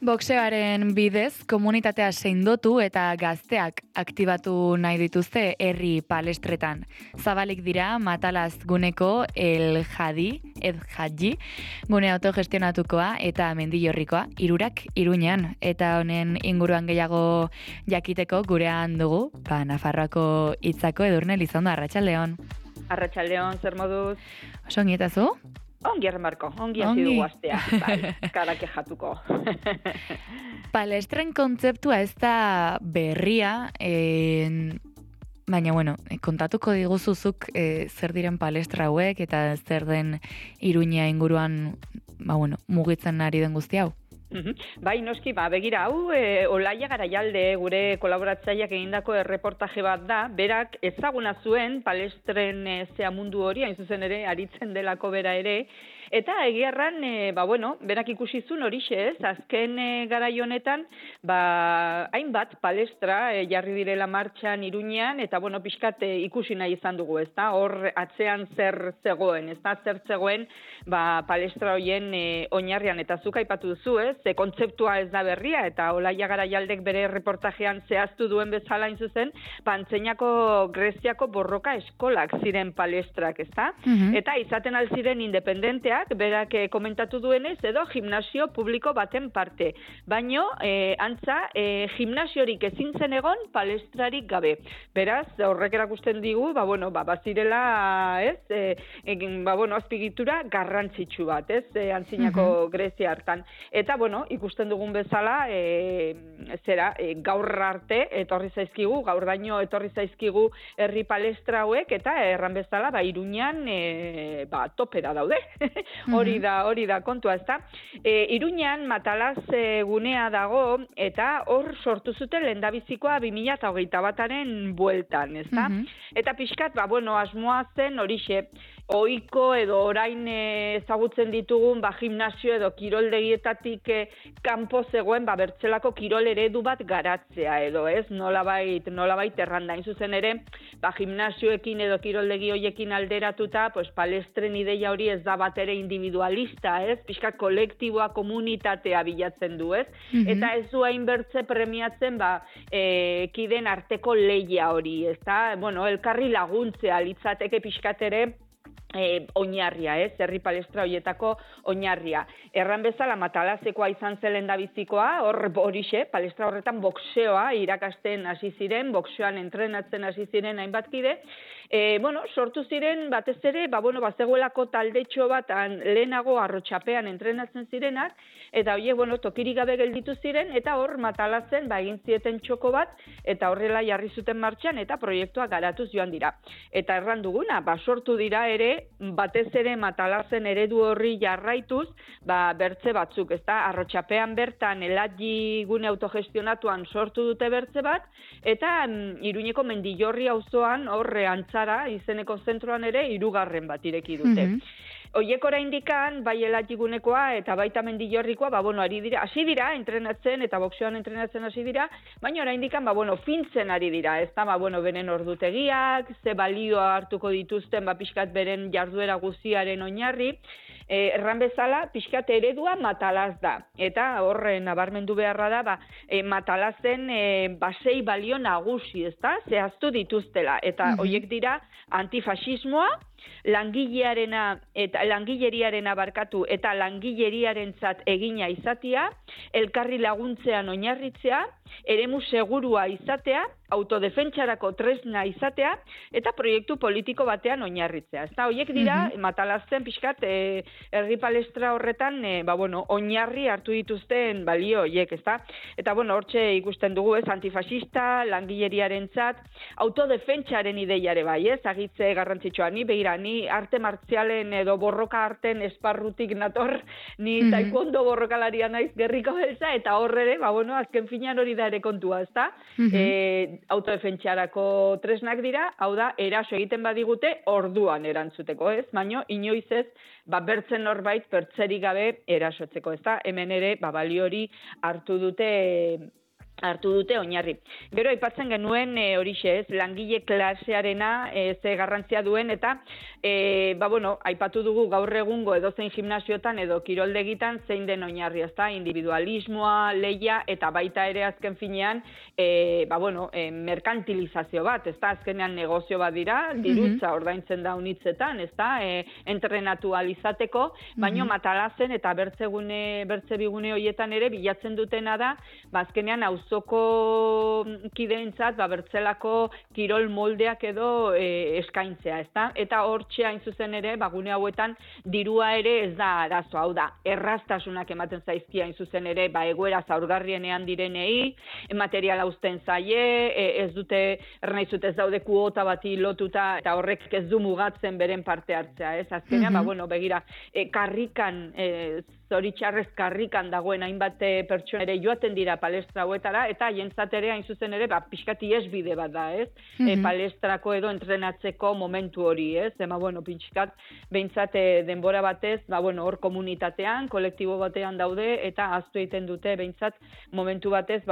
Boxeoaren bidez, komunitatea sendotu eta gazteak aktibatu nahi dituzte herri palestretan. Zabalik dira Matalaz guneko El Hadji, gune autogestionatukoa eta Mendillorrikoa, hirurak Iruñan. Eta honen inguruan gehiago jakiteko gurean dugu, Nafarroako hitzako Edurne Lizondo, arratsaldeon. Arratsaldeon, zer moduz? Oso ongi eta zu? Ongi ermarko, ongi hasi dugu astea, karak ejatuko. Palestren kontzeptua ez da berria, baina, kontatuko diguzuzuk zer diren palestra hauek eta zer den Iruña inguruan, mugitzen ari den guzti hau. Bai, noski, begira, hau Olaia Garaialde gure kolaboratzaileak egindako erreportaje bat da, berak ezaguna zuen palestren zea mundu hori, hain zuzen ere, aritzen delako bera ere, eta egiarran, berak ikusi zuen horixe ez, azken garai honetan, hainbat palestra jarri direla martxan Iruñean, eta pixkat ikusi nahi izan dugu, ez da, hor atzean zer zegoen, ez da, zer zegoen palestra horien oinarrian, eta zuk aipatu duzu, ez, ze kontzeptua ez da berria, eta Olaia Garaialdek bere reportajean zehaztu duen bezala zuzen, Antzeinako Greziako borroka eskolak ziren palestrak, ez da? Eta izaten alziren independenteak, berak komentatu duenez, edo gimnasio publiko baten parte. Baino, antza, gimnasiorik ezin zen egon palestrarik gabe. Beraz, horrek erakusten digu, bazirela, ez, azpigitura garrantzitsu bat, ez, Antzeinako Grezia hartan. Eta, ikusten dugun bezala, gaur arte etorri zaizkigu, gaur daño etorri zaizkigu herri palestra hauek, eta erran bezala, Iruñan, topera daude. Hori da kontua, ezta? Iruñan Matalaz gunea dago, eta hor sortu zuten lehendabizikoa 2021 bataren bueltan, ezta? Eta pixkat, asmoa zen horixe, ohiko edo orain ezagutzen ditugun gimnasio edo kiroldegietatik kanpo zegoen bertzelako kirol eredu bat garatzea edo, ez? Nolabait erranda. Hain zuzen ere, gimnasioekin edo kiroldegi hoiekin alderatuta, palestren ideia hori ez da bat ere individualista, ez? Pixka kolektiboa, komunitatea bilatzen du, ez? Eta ez du hainbertze premiatzen, kideen arteko lehia hori, ez da? Elkarri laguntzea litzateke pixkat ere, oinarria, ez, herri palestra horietako oinarria. Erran bezala Matalazekoa izan zen lehendabizikoa, horixe, palestra horretan boxeoa irakasten hasi ziren, boxeoan entrenatzen hasi ziren hainbat kide, sortu ziren batez ere, bazegoelako taldetxo bat lehenago Arrotxapean entrenatzen zirenak, eta horiek, tokirik gabe gelditu ziren, eta hor Matalazen egin zieten txoko bat, eta horrela jarri zuten martxan, eta proiektua garatuz joan dira. Eta erran duguna, sortu dira ere, batez ere Matalazen eredu horri jarraituz, bertze batzuk, ez da, Arrotxapean bertan El Hadji gune autogestionatuan sortu dute bertze bat, eta Iruñeko Mendillorri auzoan horre Antzara izeneko zentroan ere 3. bat ireki dute. Oiek oraindikan, bai El Hadji gunekoa eta baita Mendillorrikoa, hasi dira entrenatzen eta boxeoan entrenatzen hasi dira, baina oraindikan, fintzen ari dira, ez da, beren ordutegiak, ze balioa hartuko dituzten, pixkat beren jarduera guztiaren oinarri, erran bezala, pixkat eredua Matalaz da. Eta horren nabarmendu beharra da, Matalazen sei balio nagusi, ez da, zehaztu dituztela. Eta horiek dira antifasismoa, langileriarena eta langileriarentzat egina izatea, elkarri laguntzean oinarritzea, eremu segurua izatea, autodefentsarako tresna izatea, eta proiektu politiko batean oinarritzea. Ezta, horiek dira, Matalazen pixkat, herri palestra horretan, oinarri hartu dituzten balio horiek, ezta? Eta, hortxe ikusten dugu, ez, antifasista, langileriarentzat, autodefentsaren ideiare bai, ez, agitze garrantzitsua, ni arte martzialen edo borroka arten esparrutik nator, ni taekwondo borrokalaria naiz gerriko beltza, eta horre, azken finean hori da ere kontua, ezta? Autodefentsarako tresnak dira, hau da, eraso egiten badigute orduan erantzuteko, ez? Baina inoiz ez, bertzen norbait pertzerik gabe erasotzeko, ezta? Hemen ere, balio hori hartu dute hartu dute oinarri. Gero aipatzen genuen horixe, ez, langile klasearena ze garrantzia duen eta aipatu dugu gaur egungo edozein gimnasiotan edo kiroldegitan zein den oinarri, ezta? Individualismoa, lehia eta baita ere azken finean merkantilizazio bat, ezta? Azkenean negozio bat dira, dirutza ordaintzen da unitzetan, ezta? Entrenatu alizateko, baino matalazen eta bertze bigune horietan ere bilatzen dutena da, azkenean auzoko kideentzat bertzelako kirol moldeak edo eskaintzea, ezta? Eta hortxe hain zuzen ere, gune hauetan dirua ere ez da arazo, hau da, erraztasunak ematen zaizkia hain zuzen ere, egoera zaurgarrienean direnei, materiala uzten zaie, ez dute, ernaizut ez daude kuota bati lotuta, eta horrek ez du mugatzen beren parte hartzea, ez? Azkenean, begira, karrikan, zoritxarrez karrikan dagoen hainbat pertsona ere joaten dira palestra hauetara, eta jentzat ere hain zuzen ere, pixkat iesbide bat da, ez? Palestrako edo entrenatzeko momentu hori, ez? Pixkat, behintzat denbora batez, hor komunitatean, kolektibo batean daude, eta ahaztu egiten dute, behintzat, momentu batez,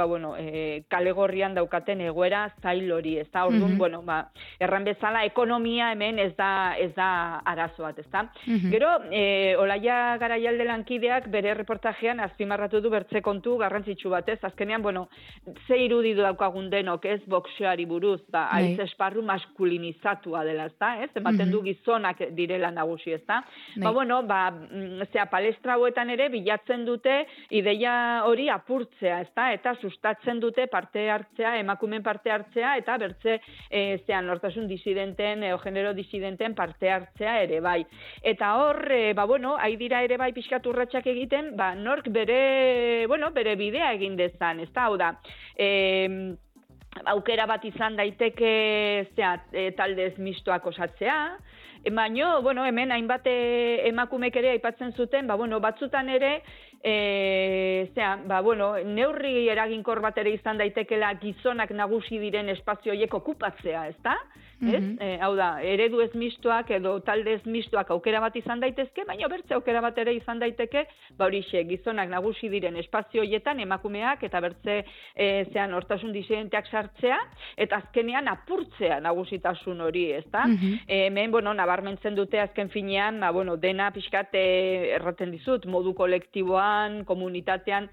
kale gorrian daukaten egoera zail hori, ez da? Orduan, erran bezala, ekonomia hemen ez da arazo bat, ez da? Gero, Olaia Garaialde lankideak bere reportajean azpimarratu du bertze kontu garrantzitsu bat, ez? Azkenean, ze irudi daukagun denok, ez? Boxeoari buruz, haiz esparru maskulinizatua dela, ez da? Ematen du gizonak direla nagusi, ez da? Palestra hauetan ere bilatzen dute ideia hori apurtzea, ez da? Eta sustatzen dute parte hartzea, emakumeen parte hartzea, eta bertze nortasun disidenten, genero disidenten parte hartzea ere bai. Eta hor, haidira ere bai pixkat urratsak egiten, nork bere bidea egin dezan, ez da? Hau da, aukera bat izan daiteke taldez mistoak osatzea, baina, hemen hainbat emakumek ere aipatzen zuten, batzutan ere, neurri eraginkor bat ere izan daitekela gizonak nagusi diren espazio horiek okupatzea, ez da? Hau da, eredu ez mistoak edo talde ez mistoak aukera bat izan daitezke, baina bertze aukera bat ere izan daiteke, horixe, gizonak nagusi diren espazio horietan emakumeak eta bertze hortasun disidenteak sartzea, eta azkenean apurtzea nagusitasun hori, ez da? Hemen, nabarmentzen dute azken finean, dena pixkat erraten dizut, modu kolektiboan, komunitatean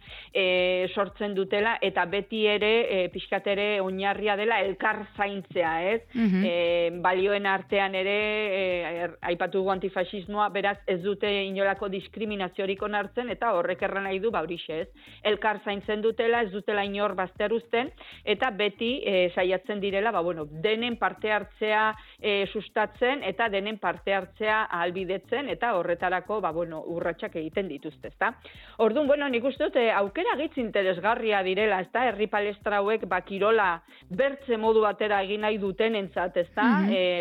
sortzen dutela, eta beti ere pixkat ere oinarria dela elkar zaintzea, ez? Balioen artean ere, aipatu dugu antifasismoa, beraz ez dute inolako diskriminaziorik onartzen, eta horrek erran nahi du, horixe, ez? Elkar zaintzen dutela, ez dutela inor bazteruzten, eta beti saiatzen direla, denen parte hartzea sustatzen, eta denen parte hartzea ahalbidetzen, eta horretarako, urratsak egiten dituzte, ezta? Orduan, nik uste dut, aukera gitz interesgarria direla, ezta? Herri palestra hauek, kirola bertze modu batera egin nahi duten entzat, ezta?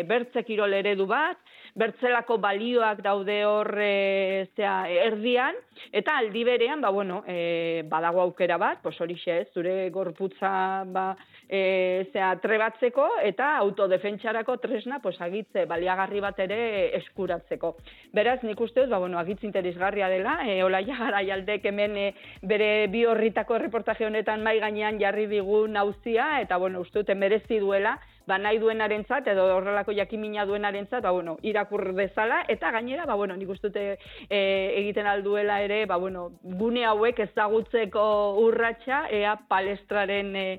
Bertze kirol eredu bat, bertzelako balioak daude hor erdian, eta aldi berean, badago aukera bat, horixe ez, zure gorputza trebatzeko, eta autodefentsarako tresna agitze baliagarri bat ere eskuratzeko. Beraz, nik uste dut, agitz interesgarria dela, Olaia Garaialdek hemen bere bi horritako reportaje honetan mai gainean jarri digu nauzia, eta uste dut merezi duela, nahi duenarentzat edo horrelako jakimina duenarentzat, irakur dezala, eta gainera, nik uste dut egiten alduela ere, gune hauek ezagutzeko urratsa, ea palestraren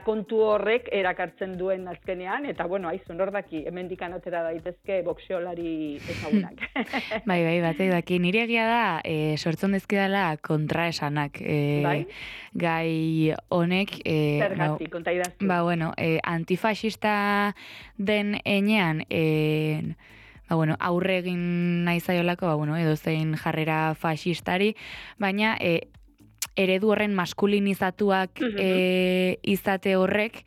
kontu horrek erakartzen duen azkenean, eta aizun hor daki, hemendik atera daitezke boxeolari ezagunak. Bai, batek daki, nire egia da, sortzen dezkidala kontraesanak. Gai honek... Zergatik, konta idaztu. Antifasista den enean, aurre egin nahi zaiolako, edo zein jarrera fasistari, baina eredu horren maskulinizatuak izate horrek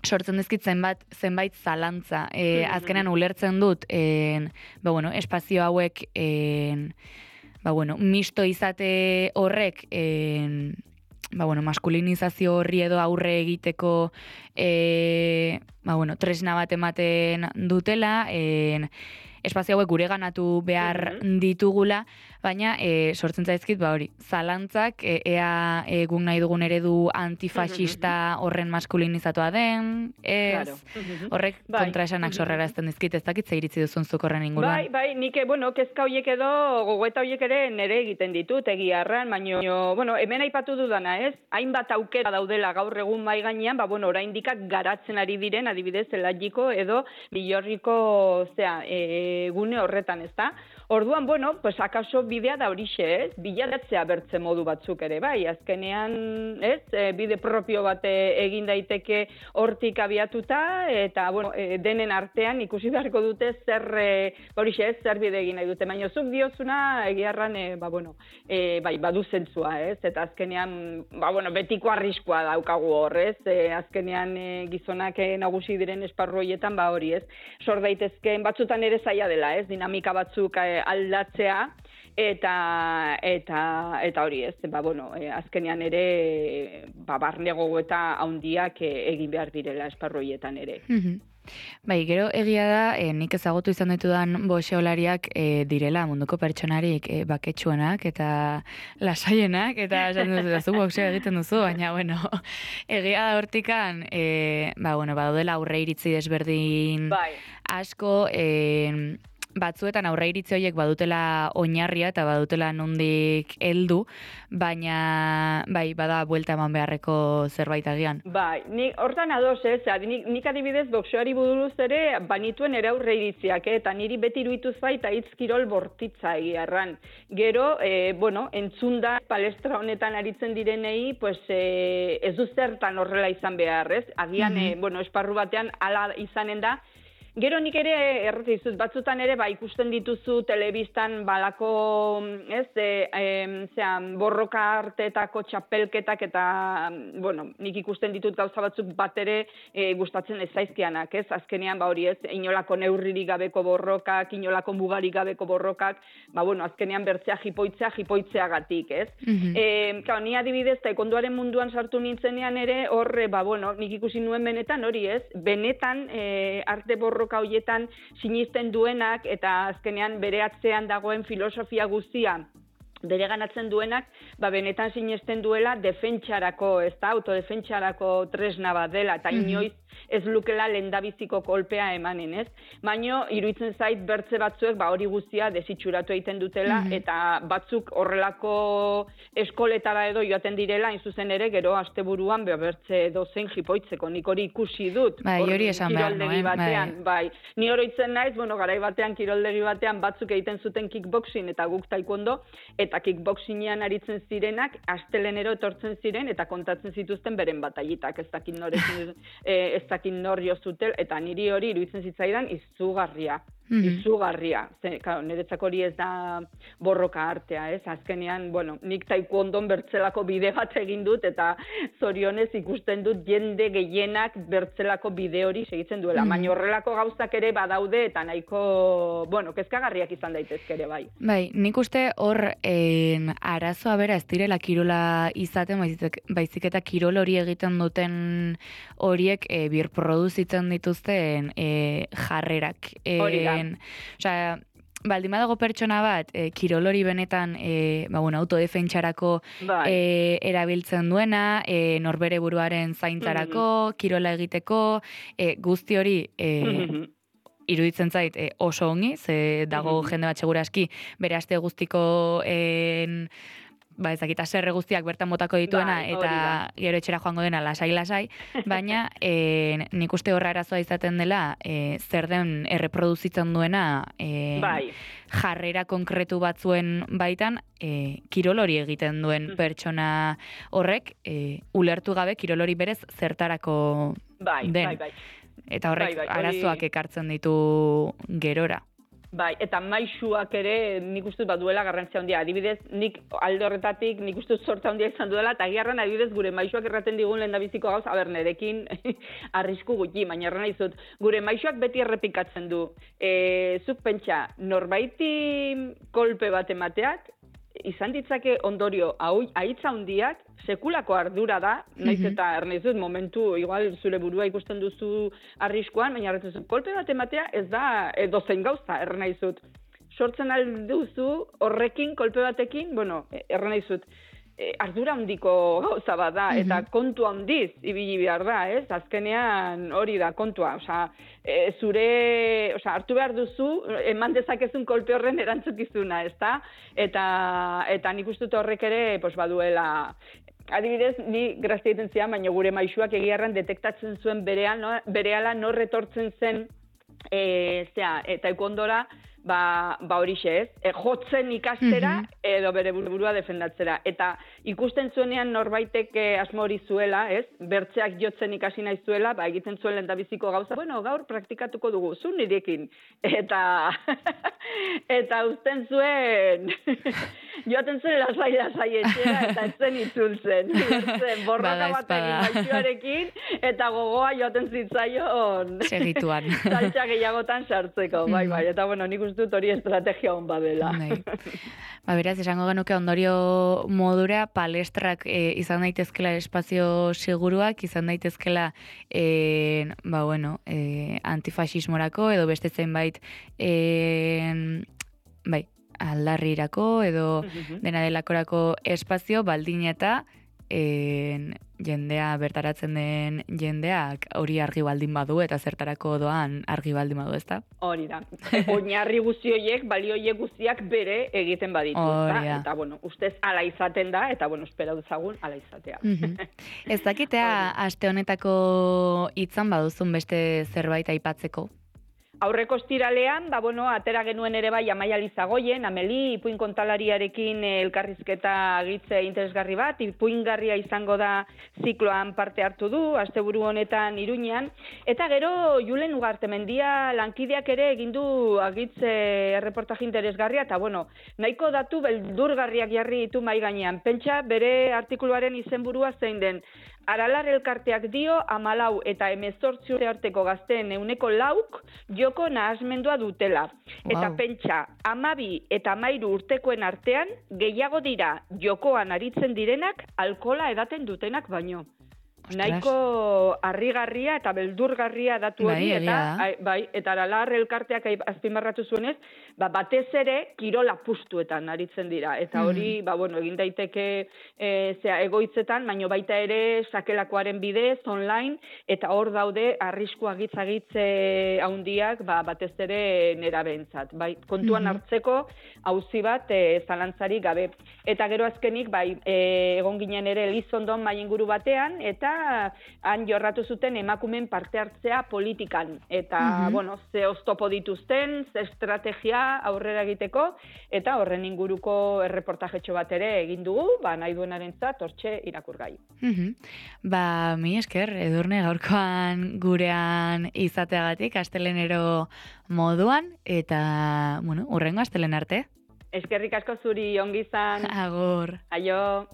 sortzen dizkit zenbait zalantza. Azkenan ulertzen dut, espazio hauek misto izate horrek maskulinizazio horri edo aurre egiteko tresna bat ematen dutela, espazio hauek gureganatu behar ditugula, baina sortzen zaizkit, hori, zalantzak, ea guk nahi dugun eredu antifaxista horren maskulinizatua den, ez, Claro. horrek kontraesanak sorrarazten dizkit, ez dakit ze iritzi duzun zuk horren inguruan. Bai, nik, kezka horiek edo, gogoeta horiek ere nere egiten ditut, egia arran, baina, hemen aipatu dudana, ez? Hainbat aukera daudela gaur egun mai gainean, oraindikak garatzen ari diren, adibidez, Elatiko edo Bilorriko, gune horretan, ez da? Orduan, akaso bidea da horixe, ez? Biladatzea bertze modu batzuk ere, bai, azkenean, ez? Bide propio bat egin daiteke hortik abiatuta, eta, denen artean ikusi beharko dute zer, horixe, ez? Zer bide egin nahi dute, baina zuk diozuna, egiarran, badu zentzua, ez? Eta azkenean, betiko arriskua daukagu hor, ez? Azkenean gizonak nagusi diren esparru horietan, hori, ez? Sor daitezkeen batzutan ere zaila dela, ez? Dinamika batzuk aldatzea, eta hori, ez? Azkenean ere, barne gogoeta handiak egin behar direla esparru horietan ere. Bai, gero egia da, nik ezagutu izan ditudan boxeolariak direla munduko pertsonarik baketsuenak eta lasaienak, eta esan duzu boxeo egiten duzu, baina, egia da hortikan, badaudela aurre iritzi desberdin asko, batzuetan aurre iritzi horiek badutela oinarria eta badutela nondik heldu, baina bada buelta eman beharreko zerbait agian. Bai, hortan ados, ez, nik adibidez boxeoari buruz ere banituen ere aurre iritziak, eta niri beti iruditu zait hitz kirol bortitza egiarran. Gero, entzunda palestra honetan aritzen direnei, ez du zertan horrela izan behar, ez? Agian, esparru batean hala izanen da. Gero nik ere erretizut, batzutan ere ikusten dituzu telebistan balako, borroka arteetako txapelketak eta, nik ikusten ditut gauza batzuk bat ere gustatzen ez zaizkianak, ez? Azkenean, hori ez, inolako neurririk gabeko borrokak, inolako mugarik gabeko borrokak, azkenean bertzea jipoitzeagatik, ez? Ni adibidez, taekwondoaren munduan sartu nintzenean ere, hor, nik ikusi nuen benetan, hori ez, benetan arte borroka horietan sinisten duenak eta azkenean bere atzean dagoen filosofia guztia bere ganatzen duenak, benetan sinesten duela defentsarako, ez da, autodefentsarako tresna bat dela, eta inoiz ez lukela lendabiziko kolpea emanen, ez? Baina, iruditzen zait bertze batzuek, hori guztia desitxuratu egiten dutela, eta batzuk horrelako eskoletara edo joaten direla, zuzen ere, gero asteburuan bertze dozein jipoitzeko, nik hori ikusi dut. Hori esan behar nuen. Ni oroitzen naiz, garai batean, kiroldegi batean, batzuk egiten zuten kickboxing eta guk taekwondo, eta kickboxingean aritzen zirenak, astelenero etortzen ziren, eta kontatzen zituzten beren bataitak, ez dakit nor jo zutel, eta niri hori iruditzen zitzaidan izugarria. Niretzako hori ez da borroka artea, ez? Azkenean, nik taekwondon bertzelako bide bat egin dut, eta zorionez ikusten dut jende gehienak bertzelako bide hori segitzen duela. Baina horrelako gauzak ere badaude, eta nahiko, kezkagarriak izan daitezke ere bai. Bai, nik uste hor arazoa bera ez direla kirola izaten, baizik eta kirol hori egiten duten horiek birproduzitzen dituzten jarrerak. Hori da. Osea, baldin badago pertsona bat, kirol hori benetan autodefentsarako erabiltzen duena, norbere buruaren zaintzarako, kirola egiteko, guzti hori iruditzen zait oso ongi, ze dago jende bat seguraski bere aste guztiko ezakita zerre guztiak bertan botako dituena eta gero etxera joango dena lasai, baina nik uste horra arazoa izaten dela zer den erreproduzitzen duena jarrera konkretu batzuen baitan kirol hori egiten duen pertsona horrek ulertu gabe kirol hori berez zertarako den. Eta horrek arazoak ekartzen ditu gerora. Eta maisuak ere nik uste duela garrantzia handia. Adibidez, nik alde horretatik nik uste sortza handia izan duela, eta giarran adibidez gure maisuak erraten digun lehendabiziko gauz, nerekin arrisku gutxi, baina erran izut, gure maisuak beti errepikatzen du. Zuk pentsa, norbaiti kolpe bat emateak, izan ditzake ondorio ahitza handiak, sekulako ardura da, naiz eta ernaizut momentu, igual zure burua ikusten duzu arriskuan, baina erratzen kolpe bat ematea ez da dozen gauza, ernaizut. sortzen alduzu horrekin, kolpe batekin, bueno, erran nahi ardura handiko gauza bat da, eta kontu handiz ibili behar da, ez? Azkenean hori da kontua, hartu behar duzu, eman dezakezun kolpe horren erantzukizuna, ezta? Eta nik uste dut horrek ere, baduela, adibidez, ni grazia egiten zian, baina gure maisuak egiarran detektatzen zuen berehala nor etortzen zen, taekondora, horixe ez, jotzen ikastera edo bere burua defendatzera. Eta ikusten zuenean norbaitek asmo hori zuela, ez, bertzeak jotzen ikasi nahi zuela, egiten zuen lehendabiziko gauza, gaur praktikatuko dugu, zu nirekin. Eta uzten zuen, joaten zuen lasai etxera eta ez zen itzultzen. Borroka batekin maixuarekin eta gogoa joaten zitzaion. Segituan. Saltsa gehiagotan sartzeko, bai, eta nik uste dut hori estrategia hon badela. Beraz, esango genuke ondorio modura palestrak izan daitezkela espazio seguruak, izan daitezkela antifasismorako edo beste zenbait aldarrirako edo dena delakorako espazio baldin eta jendea bertaratzen den jendeak hori argi baldin badu eta zertarako doan argi baldin badu, ezta? Hori da. Oinarri guzti horiek, balio horiek guztiak bere egiten baditu. Eta, ustez ala izaten da, eta, espera duzagun ala izatea. Ez dakitea aste honetako hitzan baduzun beste zerbait aipatzeko? Aurreko ostiralean, atera genuen ere bai Amaia Lizagoien, Ameli, ipuin kontalariarekin elkarrizketa gitze interesgarri bat, ipuingarria izango da zikloan parte hartu du, asteburu honetan Iruñean, eta gero Julen Ugartemendia lankideak ere egindu agitze erreportaje interesgarria, eta nahiko datu beldurgarriak jarri ditu mai gainean. Pentsa bere artikuluaren izenburua zein den, Aralar elkarteak dio 14 eta 18 urte arteko gazteen 4% joko nahasmendua dutela. Eta pentsa, 12 eta 13 urtekoen artean gehiago dira jokoan aritzen direnak alkohola edaten dutenak baino. Nahiko harrigarria eta beldurgarria datu hori, eta Aralar elkarteak azpimarratu zuenez, batez ere kirola pustuetan aritzen dira. Eta hori, egin daiteke egoitzetan, baino baita ere sakelakoaren bidez, online, eta hor daude arrisku agitze handiak batez ere nerabentzat. Kontuan hartzeko auzi bat zalantzari gabe. Eta gero azkenik, egon ginen ere Elizondon mai inguru batean, eta han jorratu zuten emakumeen parte hartzea politikan. Eta, ze oztopo dituzten, ze estrategia aurrera egiteko, eta horren inguruko erreportajetxo bat ere egin dugu, nahi duenarentzat hortxe irakurgai. Mi esker, Edurne, gaurkoan gurean izateagatik, astelenero moduan, eta, hurrengo astelen arte. Eskerrik asko zuri ongi izan. Agur. Aio.